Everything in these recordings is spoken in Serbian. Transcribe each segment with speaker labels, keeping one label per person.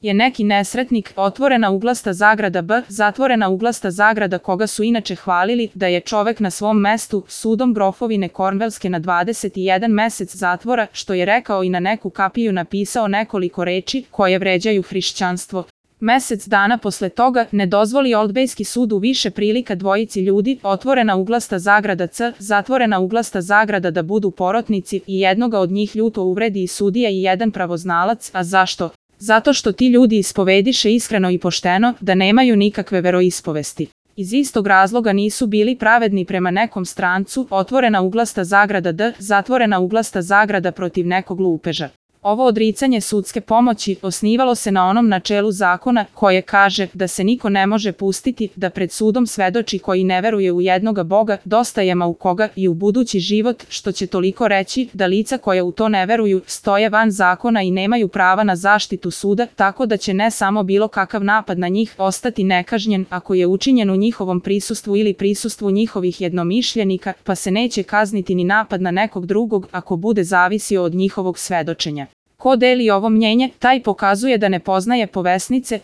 Speaker 1: je neki nesretnik, otvorena uglasta zagrada B, zatvorena uglasta zagrada, koga su inače hvalili da je čovek na svom mestu, sudom grofovine Kornvelske na 21 mesec zatvora, što je rekao i na neku kapiju napisao nekoliko reči koje vređaju hrišćanstvo. Mesec dana posle toga ne dozvoli Oldbejski sud u više prilika dvojici ljudi, otvorena uglasta zagrada C, zatvorena uglasta zagrada, da budu porotnici i jednoga od njih ljuto uvredi i sudija i jedan pravoznalac. A zašto? Zato što ti ljudi ispovediše iskreno i pošteno da nemaju nikakve veroispovesti. Iz istog razloga nisu bili pravedni prema nekom strancu, otvorena uglasta zagrada D, zatvorena uglasta zagrada, protiv nekog lupeža. Ovo odricanje sudske pomoći osnivalo se na onom načelu zakona koje kaže da se niko ne može pustiti da pred sudom svedoči koji ne veruje u jednoga Boga, dostajema u koga i u budući život, što će toliko reći da lica koja u to ne veruju stoje van zakona i nemaju prava na zaštitu suda, tako da će ne samo bilo kakav napad na njih ostati nekažnjen ako je učinjen u njihovom prisustvu ili prisustvu njihovih jednomišljenika, pa se neće kazniti ni napad na nekog drugog ako bude zavisio od njihovog svedočenja. Ko deli ovo mnjenje, taj pokazuje da ne poznaje povesnice,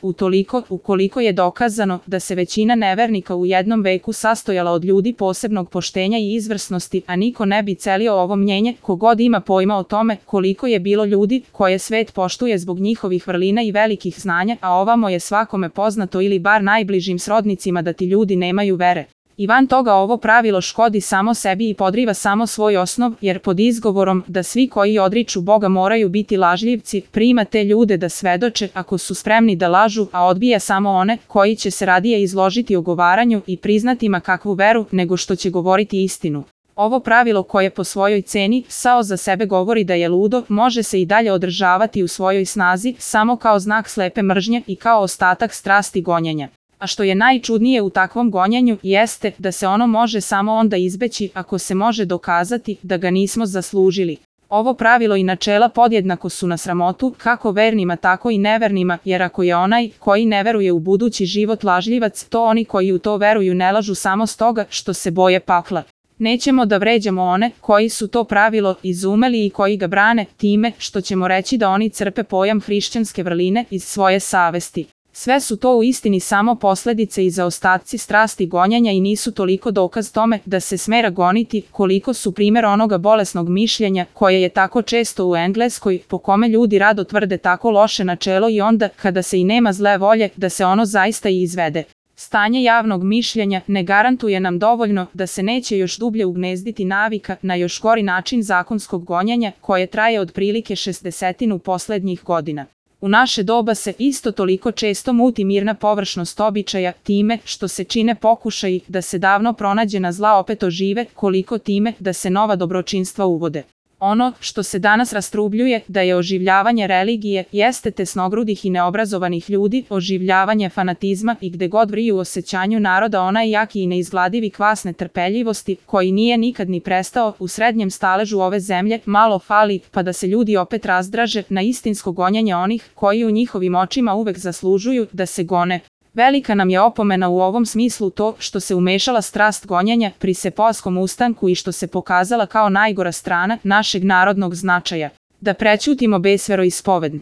Speaker 1: ukoliko je dokazano da se većina nevernika u jednom veku sastojala od ljudi posebnog poštenja i izvrsnosti, a niko ne bi celio ovo mnjenje, kogod ima pojma o tome koliko je bilo ljudi koje svet poštuje zbog njihovih vrlina i velikih znanja, a ovamo je svakome poznato ili bar najbližim srodnicima da ti ljudi nemaju vere. I van toga ovo pravilo škodi samo sebi i podriva samo svoj osnov, jer pod izgovorom da svi koji odriču Boga moraju biti lažljivci, prima te ljude da svedoče ako su spremni da lažu, a odbija samo one koji će se radije izložiti ogovaranju i priznati ma kakvu veru nego što će govoriti istinu. Ovo pravilo koje po svojoj ceni samo za sebe govori da je ludo, može se i dalje održavati u svojoj snazi samo kao znak slepe mržnje i kao ostatak strasti gonjenja. A što je najčudnije u takvom gonjenju jeste da se ono može samo onda izbeći ako se može dokazati da ga nismo zaslužili. Ovo pravilo i načela podjednako su na sramotu kako vernima tako i nevernima, jer ako je onaj koji ne veruje u budući život lažljivac, to oni koji u to veruju ne lažu samo stoga što se boje pakla. Nećemo da vređamo one koji su to pravilo izumeli i koji ga brane time što ćemo reći da oni crpe pojam hrišćanske vrline iz svoje savesti. Sve su to u istini samo posledice i zaostaci strasti gonjenja i nisu toliko dokaz tome da se smera goniti koliko su primer onoga bolesnog mišljenja koje je tako često u Engleskoj, po kome ljudi rado tvrde tako loše načelo i onda kada se i nema zle volje da se ono zaista i izvede. Stanje javnog mišljenja ne garantuje nam dovoljno da se neće još dublje ugnezditi navika na još gori način zakonskog gonjenja koje traje otprilike 60 poslednjih godina. U naše doba se isto toliko često muti mirna površnost običaja time što se čine pokušaji da se davno pronađena zla opet ožive, koliko time da se nova dobročinstva uvode. Ono što se danas rastrubljuje da je oživljavanje religije jeste tesnogrudih i neobrazovanih ljudi, oživljavanje fanatizma i gde god vriju u osjećanju naroda onaj jaki i neizgladivi kvas netrpeljivosti koji nije nikad ni prestao u srednjem staležu ove zemlje, malo fali pa da se ljudi opet razdraže na istinsko gonjenje onih koji u njihovim očima uvek zaslužuju da se gone. Velika nam je opomena u ovom smislu to što se umešala strast gonjenja pri Sepoaskom ustanku i što se pokazala kao najgora strana našeg narodnog značaja. Da prećutimo besveroispovedni.